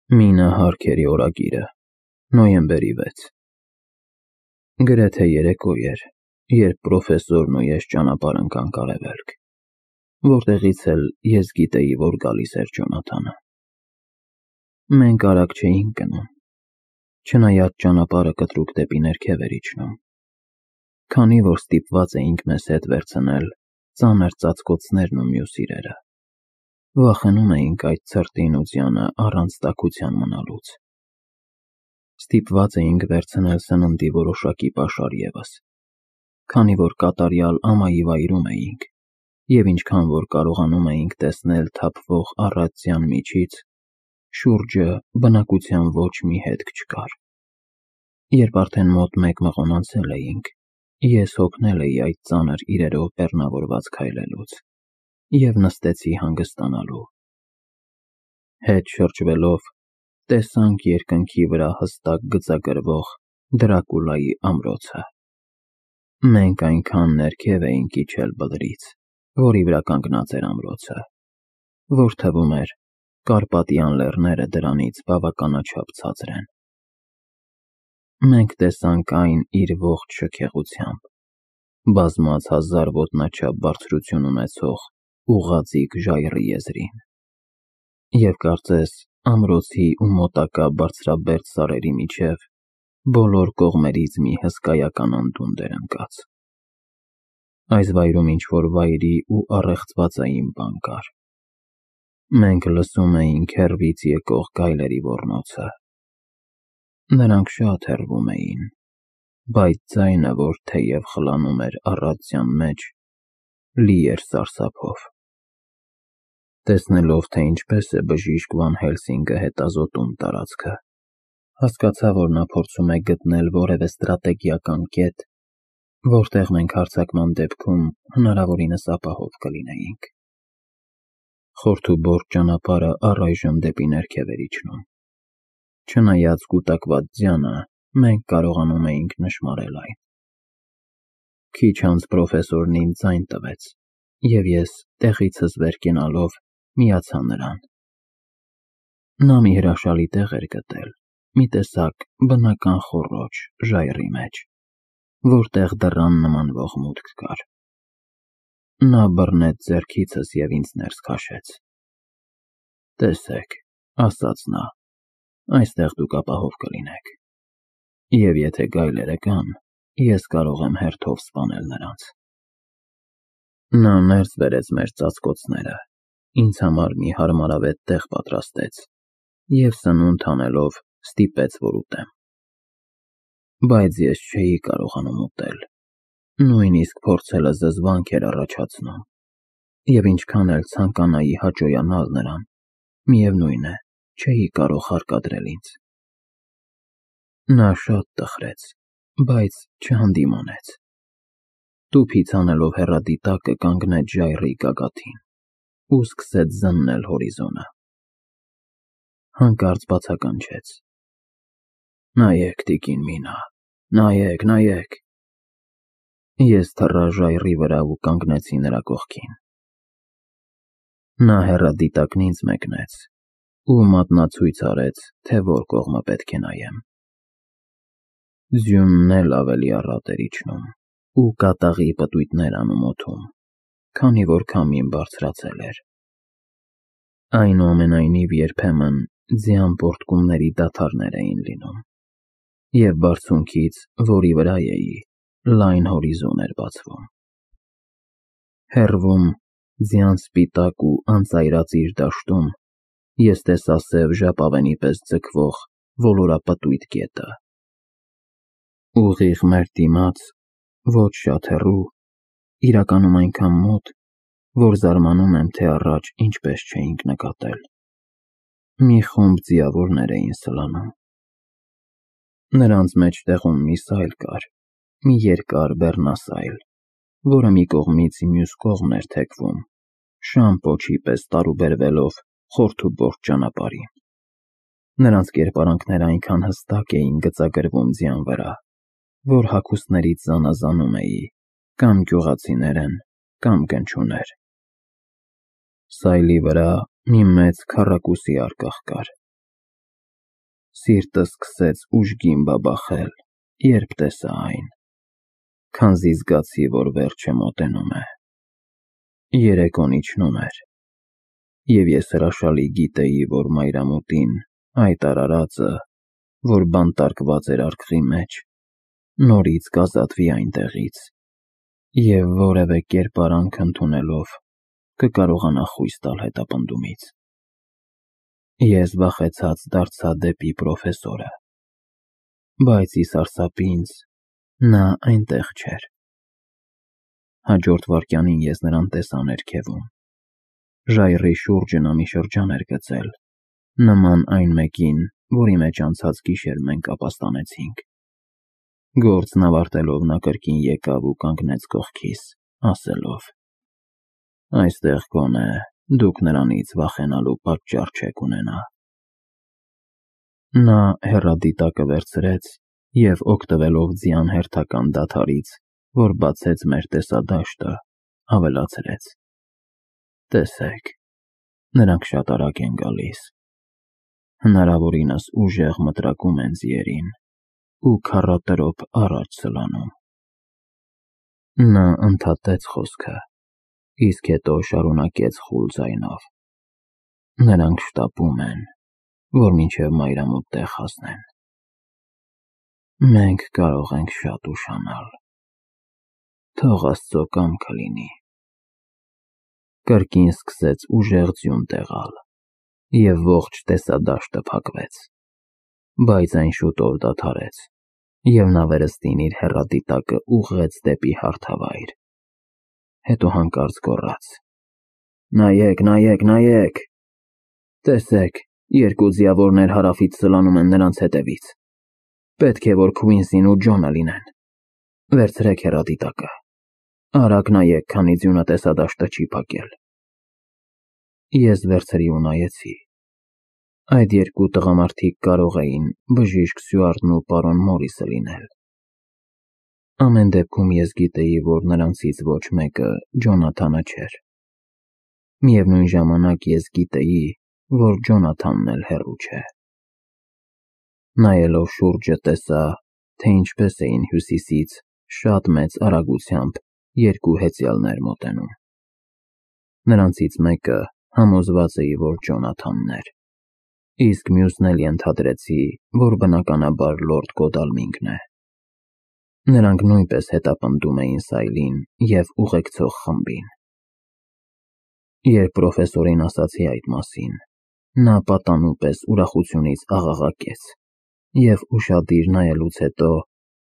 Մինը Հարքերի օրագիրը, նոյեմբերի 6։ Գրեթե երեկո էր, երբ պրոֆեսորն ու ես ճանապարհ ընկանք արևելք, որտեղից էլ ես գիտեի, որ գալիս էր Ջոնաթանը։ Մենք արագ չէինք գնում, չնայած ճանապարհը կտրուկ դեպի ներքև էր իջնում, քանի որ ստիպված էինք մեզ հետ վերցնել ծանր ծածկոցներն ու մյուս իրերը, վախենում էինք այդ ցրտին ու ձյանը առանց տաքության մնալուց։ Ստիպված էինք վերցնել սննդի որոշակի պաշար ևս, քանի որ կատարյալ ամայի վայրում էինք, և ինչքան որ կարողանում էինք տեսնել թափվող առատության միջից, շուրջը բնակության ոչ մի հետք չկար։ Երբ արդեն մոտ 1 մղոն անցել էինք, ես հոգնել էի այդ ծանր իրերով բեռնավորված քայլելուց և նստեցի հանգստանալու։ Հետ շրջվելով, տեսանք երկնքի վրա հստակ գծագրվող Դրակուլայի ամրոցը։ Մենք այնքան ներքև էինք իջել բլրից, որի վրա կանգնած էր ամրոցը, որ թվում էր Կարպատյան լեռները դրանից բավականաչափ ցածր են։ Մենք տեսանք այն իր ողջ շքեղությամբ, բազմած 1000 ոտնաչափ բարձրություն ունեցող ուղղաձիգ ժայռի եզրին, և կարծես ամրոցի ու մոտակա բարձրաբերդ սարերի միջև բոլոր կողմերից մի հսկայական անդունդ էր ընկած։ Այս վայրում ինչ-որ վայրի ու առեղծվածային բան կար։ Մենք լսում էինք հեռվից եկող գայլերի ոռնոցը։ Նրանք շատ հեռվում էին, բայց ձայնը, որ թեև խլանում էր առատության մեջ, լի էր սարսափով։ Տեսնելով, թե ինչպես է բժիշկ Վան Հելսինգը հետազոտում տարածքը, հասկացա, որ նա փորձում է գտնել որևէ ստրատեգիական կետ, որտեղ մենք հարձակման դեպքում հնարավորինս ապահով կլինեինք։ Խորթուբորտ ճանապարհը առայժմ դեպի ներքև էր իջնում։ Չնայած կուտակված ձյանը, մենք կարողանում էինք նշմարել այն։ Քիչ անց պրոֆեսորն ինձ ձայն տվեց, և ես, տեղիցս վեր կենալով, միացա նրան։ Նա մի հրաշալի տեղ էր գտել, մի տեսակ բնական խոռոչ ժայռի մեջ, որտեղ դռան նմանվող մուտք կար։ Նա բռնեց ձեռքիցս և ինձ ներս քաշեց։ «Տեսեք», ասաց նա, «այստեղ դուք ապահով կլինեք, և եթե գայլերը կան, ես կարող եմ հերթով սպանել նրանց»։ Նա ներս բերեց մեր ծածկոցները, ինձ համար մի հարմարավետ տեղ պատրաստեց և սնունդ հանելով ստիպեց, որ ուտեմ։ Բայց ես չէի կարողանում ուտել, նույնիսկ փորձելը զզվանք էր առաջացնում, և ինչքան էլ ցանկանայի հաճոյանալ նրան, միևնույն է, չէի կարող հարկադրել ինձ։ Նա շատ տխրեց, բայց չհանդիմանեց։ Տուփից հանելով հեռադիտակը կանգնեց ժայռի գագաթին ու սկսեց զննել հորիզոնը։ Հանկարծ բացականչեց. «Նայեք, տիկին Մինա, նայեք, նայեք»։ Ես թռա ժայռի վրա ու կանգնեցի նրա կողքին։ Նա հեռադիտակն ինձ մեկնեց ու մատնացույց արեց, թե որ կողմը պետք է նայեմ։ Ձյունն էլ ավելի առատ էր իջնում ու կատաղի պտույտներ անում օդում, քանի որ քամին բարձրացել էր։ Այնուամենայնիվ երբեմն ձյան պոռթկումների դադարներ էին լինում, և բարձունքից, որի վրա էի, լայն հորիզոն էր բացվում։ Հեռվում, ձյան սպիտակ ու անծայրածիր դաշտում, ես տեսա սև ժապավենի պես ձգվող ոլորապտույտ գետը։ Ուղիղ մեր դիմաց, ոչ շատ հեռու, իրականում այնքան մոտ, որ զարմանում եմ, թե առաջ ինչպես չէինք նկատել, մի խումբ ձիավորներ էին սլանում։ Նրանց մեջտեղում մի սայլ կար, մի երկար բեռնասայլ, որը մի կողմից մյուս կողմ էր թեքվում, շան պոչի պես տարուբերվելով խորթուբորտ ճանապարհին։ Նրանց կերպարանքները այնքան հստակ էին գծագրվում ձյան վրա, որ հագուստներից զանազանում էի կամ գյուղացիներ են, կամ գնչուներ։ Սայլի վրա մի մեծ քառակուսի առկաղ կար, Սիրտս սկսեց ուժգին բաբախել, երբ տեսա այն, քանզի զգացի, որ վերջը մոտենում է։ Երեկոն իջնում էր, և ես հրաշալի գիտեի, որ մայրամուտին այդ արարածը, որ բանտարկված էր արկղի մեջ, նորից կազատվի այնտեղից, և որևէ կերպարանք ընդունելով կկարողանա խույս տալ հետապնդումից։ Ես վախեցած դարձա դեպի պրոֆեսորը, բայց ի սարսափ ինձ նա այնտեղ չէր։ Հաջորդ վայրկյանին ես նրան տեսա ներքևում։ Ժայռի շուրջը նա մի շրջան էր գծել, նման այն մեկին, որի մեջ անցած գիշեր մենք ապաստանեցինք։ Գործն ավարտելով նա կրկին եկավ ու կանգնեց կողքիս, ասելով. «Այստեղ գոնե դուք նրանից վախենալու պատճառ չեք ունենա»։ Նա հեռադիտակը վերցրեց և օգտվելով ձյան հերթական դադարից, որ բացեց մեր տեսադաշտը, ավելացրեց. «Տեսեք, նրանք շատ արագ են գալիս, հնարավորինս ուժեղ մտրակում են ձիերին ու քառատրոփ առաջ սլանում»։ Նա ընդհատեց խոսքը, իսկ հետո շարունակեց խուլ ձայնով. «Նրանք շտապում են, որ մինչև մայրամուտ տեղ հասնեն։ Մենք կարող ենք շատ ուշանալ։ Թող Աստծո կամքը լինի»։ Կրկին սկսեց ուժեղ ձյուն տեղալ, և ողջ տեսադաշտը փակվեց, բայց այն շուտով դադարեց, և նա վերստին իր հեռադիտակը ուղղեց դեպի հարթավայր։ Հետո հանկարծ գոռաց. «Նայեք, նայեք, նայեք, տեսեք, երկու ձիավորներ հարավից սլանում են նրանց հետևից։ Պետք է, որ Քվինսին ու Ջոնը լինեն։ Վերցրեք հեռադիտակը, արագ նայեք, քանի ձյունը տեսադաշտը չի փակել»։ Ես վերցրի ու նայեցի։ Այդ երկու տղամարդիկ կարող էին բժիշկ Սյուարտն ու պարոն Մորիսը լինել։ Ամեն դեպքում ես գիտեի, որ նրանցից ոչ մեկը Ջոնաթանը չէր։ Միևնույն ժամանակ ես գիտեի, որ Ջոնաթանն էլ հեռու չէ։ Նայելով շուրջը տեսա, թե ինչպես էին հյուսիսից շատ մեծ արագությամբ երկու հեծյալներ մոտենում։ Նրանցից մեկը համոզված էի, որ Ջոնաթանն էր, իսկ մյուսն էլ ենթադրեցի, որ բնականաբար լորդ Գոդալմինգն է։ Նրանք նույնպես հետապնդում էին Սայլին և ուղեկցող խմբին։ Երբ պրոֆեսորին ասացի այդ մասին, նա պատանու պես ուրախությունից աղաղակեց և ուշադիր նայելուց հետո,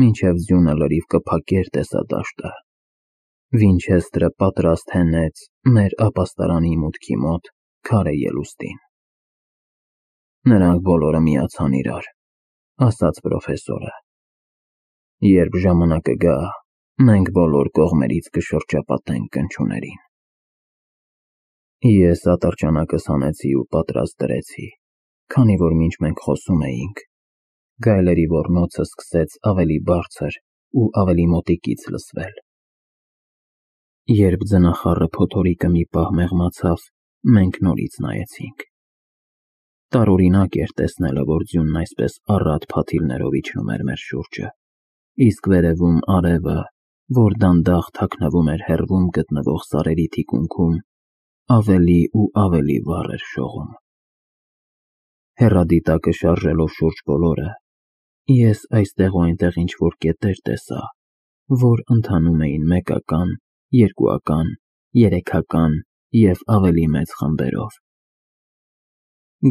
մինչև ձյունը լրիվ կփակեր տեսադաշտը, Վինչեսթրը պատրաստ հենեց մեր ապաստարանի մուտքի մոտ քարե ելուստին։ «Նրանք բոլորը միացան իրար», ասաց պրոֆեսորը։ «Երբ ժամանակը գա, մենք բոլոր կողմերից կշրջապատենք կնչուներին»։ Ես ատրճանակս հանեցի ու պատրաստ դրեցի, քանի որ մինչ մենք խոսում էինք, գայլերի ոռնոցը սկսեց ավելի բարձր ու ավելի մոտիկից լսվել։ Երբ ձնախառը փոթորիկը մի պահ մեղմացավ, մենք նորից նայեցինք։ Տարօրինակ էր տեսնելը, որ ձյունն այսպես առատ փաթիլներով իջնում էր մեր շուրջը, իսկ վերևում արևը, որ դանդաղ թաքնվում էր հեռվում գտնվող սարերի թիկունքում, ավելի ու ավելի վառ էր շողում։ Հեռադիտակը շարժելով շուրջ բոլորը, ես այստեղ ու այնտեղ ինչ-որ կետեր տեսա, որ ընթանում էին մեկական, երկուական, երեքական և ավելի մեծ խմբերով։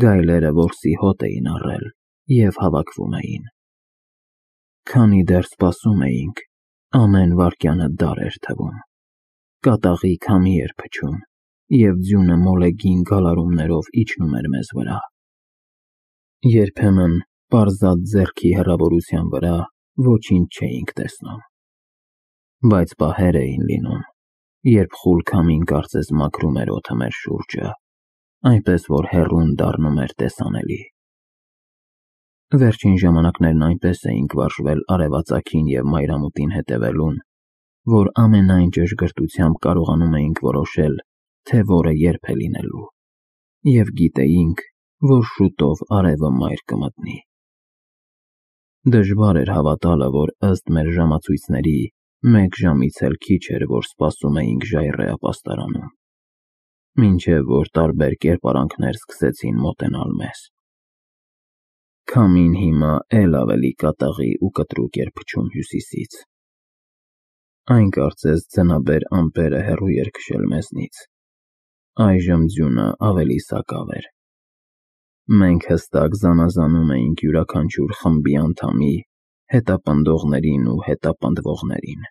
Գայլերը որսի հոտ էին առել և հավաքվում էին։ Քանի դեռ սպասում էինք, ամեն վայրկյանը դար էր թվում։ Կատաղի քամի էր փչում, և ձյունը մոլեգին գալարումներով իջնում էր մեզ վրա։ Երբեմն պարզած ձեռքի հեռավորության վրա ոչինչ չէինք տեսնում, բայց պահեր էին լինում, երբ խուլ քամին կարծես մաքրում էր օդը մեր շուրջը, այնպես որ հեռուն դառնում էր տեսանելի։ Վերջին ժամանակներն այնպես էինք վարժվել արևածագին և մայրամուտին հետևելուն, որ ամենայն ճշգրտությամբ կարողանում էինք որոշել, թե որը երբ է լինելու, և գիտեինք, որ շուտով արևը մայր կմտնի։ Դժվար էր հավատալը, որ ըստ մեր ժամացույցների 1 ժամից էլ քիչ էր, որ սպասում էինք ժայռե ապաստարանում, մինչև որ տարբեր կերպարանքներ սկսեցին մոտենալ մեզ։ Քամին հիմա էլ ավելի կատաղի ու կտրուկ էր փչում հյուսիսից։ Այն կարծես ձնաբեր ամպերը հեռու էր քշել մեզնից։ Այժմ ձյունը ավելի սակավ էր։ Մենք հստակ զանազանում էինք յուրաքանչյուր խմբի անդամի, հետապնդողներին ու հետապնդվողներին։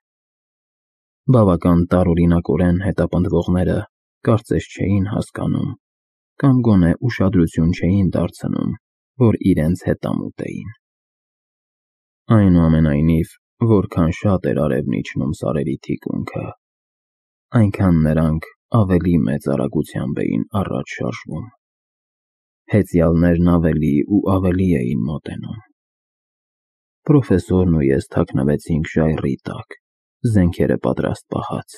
Բավական տարօրինակորեն հետապնդվողները կարծես չէին հասկանում կամ գոնե ուշադրություն չէին դարձնում, որ իրենց հետամուտ էին։ Այնուամենայնիվ, որքան շատ էր արևն իջնում սարերի թիկունքը, այնքան նրանք ավելի մեծ արագությամբ էին առաջ շարժվում։ Հեծյալներն ավելի ու ավելի էին մոտենում։ Պրոֆեսորն ու ես թաքնվեցինք ժայռի տակ, զենքերը պատրաստ պահած։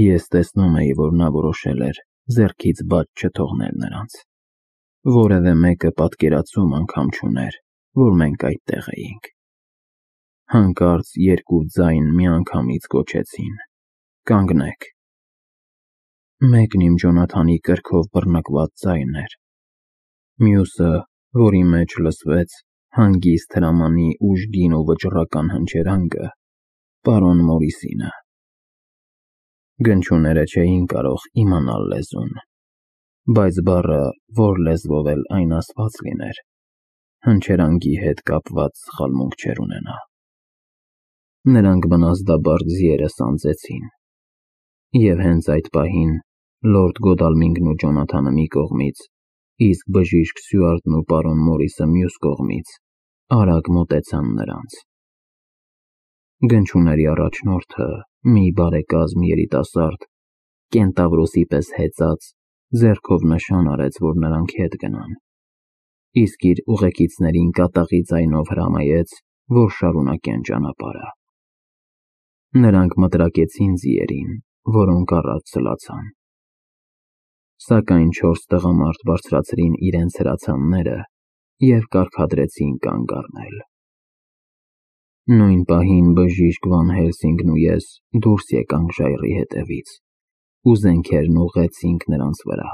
Ես տեսնում էի, որ նա որոշել էր ձեռքից բաց չթողնել նրանց։ Որևէ մեկը պատկերացում անգամ չուներ, որ մենք այդտեղ էինք։ Հանկարծ երկու ձայն միանգամից գոչեցին. «Կանգնեք»։ Մեկն իմ Ջոնաթանի կրքով բռնկված ձայնն էր, մյուսը, որի մեջ լսվեց հանգիստ հրամանի ուժգին ու վճռական հնչերանգը, պարոն Մորիսինը։ Գնչուները չէին կարող իմանալ լեզուն, բայց բառը, որ լեզվով էլ այն ասված լիներ, հնչերանգի հետ կապված սխալմունք չէր ունենա։ Նրանք բնազդաբար ձիերը սանձեցին, և հենց այդ պահին լորդ Գոդալմինգն ու Ջոնաթանը մի կողմից, իսկ բժիշկ Սյուարտն ու պարոն Մորիսը մյուս կողմից արագ մոտեցան նրանց։ Գնչուների առաջնորդը, մի բարեկազմ երիտասարդ, կենտավրոսի պես հեծած, ձեռքով նշան արեց, որ նրանք հետ գնան, իսկ իր ուղեկիցներին կատաղի ձայնով հրամայեց, որ շարունակեն ճանապարհը։ Նրանք մտրակեցին ձիերին, որոնք առաջ սլացան։ Սակայն 4 տղամարդ բարձրացրին իրենց հրացանները և կարգադրեցին կանգ առնել։ Նույն պահին բժիշկ Վան Հելսինգն ու ես դուրս եկանք ժայռի հետևից ու զենքերն ուղղեցինք նրանց վրա։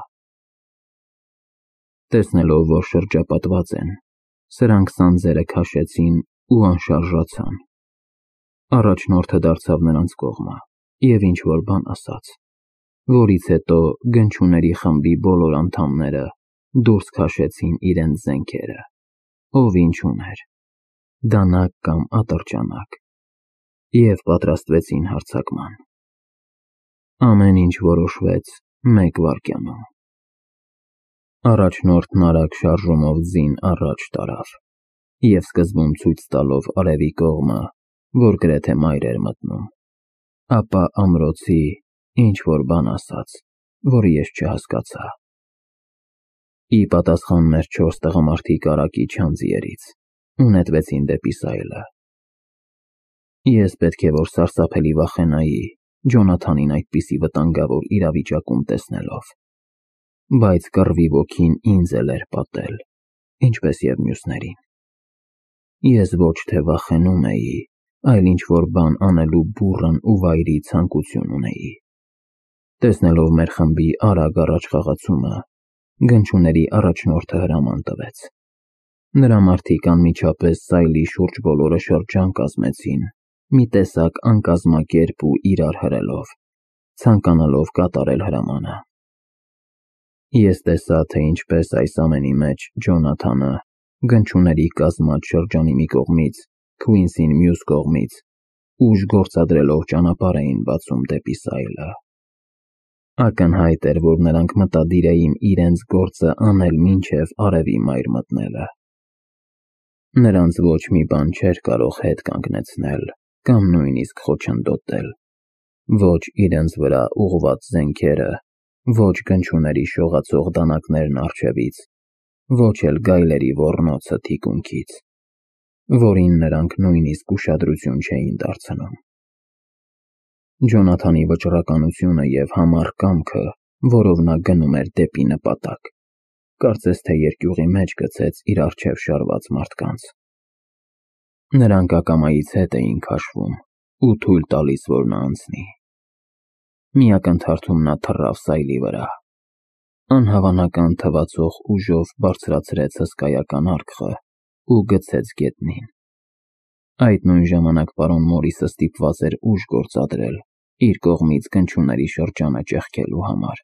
Տեսնելով, որ շրջապատված են, սրանք սանձերը քաշեցին ու անշարժացան։ Առաջնորդը դարձավ նրանց կողմը և ինչ-որ բան ասաց, որից հետո գնչուների խմբի բոլոր անդամները դուրս քաշեցին իրենց զենքերը, ով ինչ ուներ, դանակ կամ ատրճանակ, և պատրաստվեցին հարձակման։ Ամեն ինչ որոշվեց 1 վայրկյանում։ Առաջնորդն արագ շարժումով ձին առաջ տարավ և սկզբում ցույց տալով արևի կողմը, որ գրեթե մայր էր մտնում, ապա ամրոցի ինչ-որ բան ասաց, որը ես չհասկացա։ Ի պատասխան մեր 4 տղամարդիկ արագ իջան ձիերից ու նետվեցին դեպի սայլը։ Ես պետք է որ սարսափելի վախենայի Ջոնաթանին այդպիսի վտանգավոր իրավիճակում տեսնելով, բայց կռվի ոգին ինձ էլ էր պատել, ինչպես և մյուսներին։ Ես ոչ թե վախենում էի, այլ ինչ-որ բան անելու բուռն ու վայրի ցանկություն ունեի։ Տեսնելով մեր խմբի արագ առաջ խաղացումը, գնչուների առաջնորդը հրաման տվեց։ Նրա մարդիկ անմիջապես սայլի շուրջ բոլորը շրջան կազմեցին, մի տեսակ անկազմակերպ ու իրար հրելով, ցանկանալով կատարել հրամանը։ Ես տեսա, թե ինչպես այս ամենի մեջ Ջոնաթանը, գնչուների կազմած շրջանի մի կողմից, Քվինսին մյուս կողմից, ուժ գործադրելով ճանապարհ էին բացում դեպի սայլը։ Ակնհայտ էր, որ նրանք մտադիր էին իրենց գործը անել մինչև արևի մայր մտնելը։ Նրանց ոչ մի բան չէր կարող հետ կանգնեցնել կամ նույնիսկ խոչընդոտել, ոչ իրենց վրա ուղղված զենքերը, ոչ գնչուների շողացող դանակներն առջևից, ոչ էլ գայլերի ոռնոցը թիկունքից, որին նրանք նույնիսկ ուշադրություն չէին դարձնում։ Ջոնաթանի վճռականությունը և համառ կամքը, որով նա գնում էր դեպի նպատակ, կարծես թե երկյուղի մեջ գցեց իր առջև շարված մարդկանց։ Նրանք ակամայից հետ էին քաշվում ու թույլ տալիս, որ նա անցնի։ Մի ակնթարթում նա թռավ սայլի վրա։ Անհավանական թվացող ուժով բարձրացրեց հսկայական արկղը ու գցեց գետնին։ Այդ նույն ժամանակ պարոն Մորիսը ստիպված էր ուժ գործադրել իր կողմից կնչուների շրջանը ճեղքելու համար։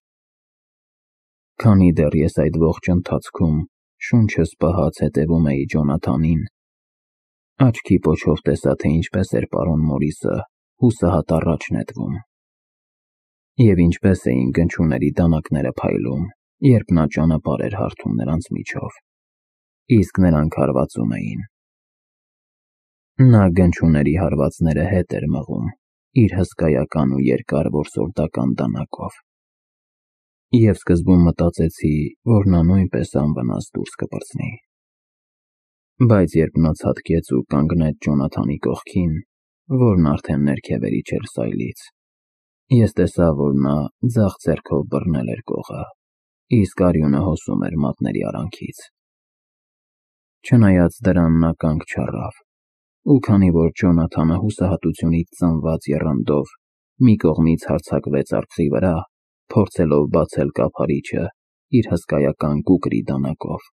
Քանի դեռ ես այդ ողջ ընթացքում շունչս պահած հետևում էի Ջոնաթանին, աչքի պոչով տեսա, թե ինչպես էր պարոն Մորիսը հուսահատ առաջ նետվում, և ինչպես էին կնչուների դանակները փայլում, երբ նա ճանապարհ էր հարթում նրանց միջով, իսկ նրանք հարվածում էին։ Նա կնչուների հարվածները հետ էր մղում իր հսկայական ու երկար որսորդական դանակով, և սկզբում մտածեցի, որ նա նույնպես անվնաս դուրս կպրծնի։ Բայց երբ նա ցատկեց ու կանգնեց Ջոնաթանի կողքին, որն արդեն ներքև էր իջել սայլից, ես տեսա, որ նա ձախ ձեռքով բռնել էր կողը, իսկ արյունը հոսում էր մատների արանքից։ Չնայած դրան նա կանգ չառավ, ու քանի որ Ջոնաթանը հուսահատությունից ծնված եռանդով մի կողմից հարձակվեց արկղի վրա, փորձելով բացել կափարիչը իր հսկայական կուկրի դանակով,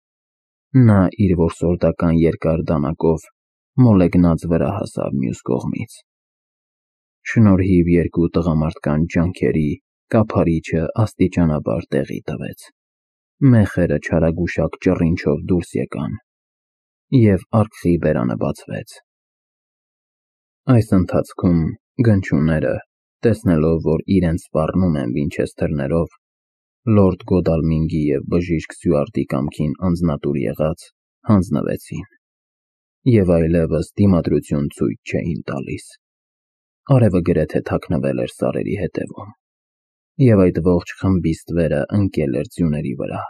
նա իր որսորդական երկար դանակով մոլեգնած վրա հասավ մյուս կողմից։ Շնորհիվ երկու տղամարդկանց ջանքերի կափարիչը աստիճանաբար տեղի տվեց, մեխերը չարագուշակ ճռինչով դուրս եկան, և արկղի բերանը բացվեց։ Այս ընթացքում գնչուները, տեսնելով, որ իրենց սպառնում են վինչեսթերներով, լորդ Գոդալմինգի և բժիշկ Սյուարտի կամքին անձնատուր եղած, հանձնվեցին և այլևս դիմադրություն ցույց չէին տալիս։ Արևը գրեթե թաքնվել էր սարերի հետևում, և այդ ողջ խմբիստվերը ընկել էր ձյուների վրա։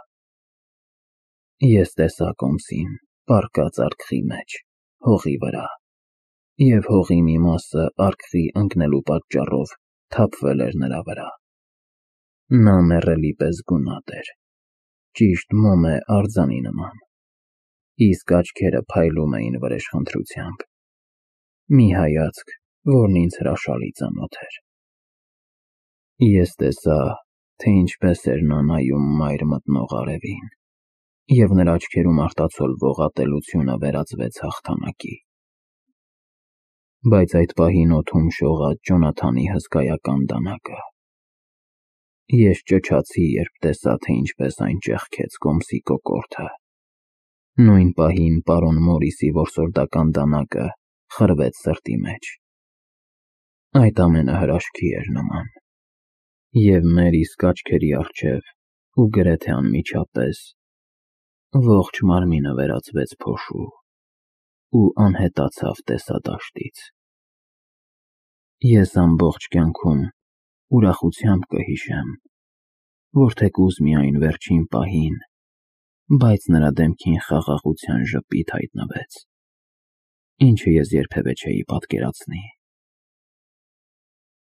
Ես տեսա կոմսին պառկած արկղի մեջ, հողի վրա, և հողի մի մասը արկղի ընկնելու պատճառով թափվել էր նրա վրա։ Նա մեռելի պես գունատ էր, ճիշտ մոմե արձանի նման, իսկ աչքերը փայլում էին վրեժխնդրությամբ, մի հայացք, որն ինձ հրաշալի ծանոթ էր։ Ես տեսա, թե ինչպես էր նա նայում մայր մտնող արևին, և նրա աչքերում արտացոլվող ատելությունը վերածվեց հաղթանակի։ Բայց այդ պահին օդում շողաց Ջոնաթանի հսկայական դանակը։ Ես ճչացի, երբ տեսա, թե ինչպես այն ճեղքեց կոմսի կոկորդը։ Նույն պահին պարոն Մորիսի որսորդական դանակը խրվեց սրտի մեջ։ Այդ ամենը հրաշքի էր նման, և մեր իսկ աչքերի առջև ու գրեթե անմիջապես ողջ մարմինը վերածվեց փոշու ու անհետացավ տեսադաշտից։ Ես ամբողջ կյանքում ուրախությամբ կհիշեմ, որ թեկուզ միայն վերջին պահին, բայց նրա դեմքին խաղաղության ժպիտ հայտնվեց, ինչը ես երբևէ չէի պատկերացնի։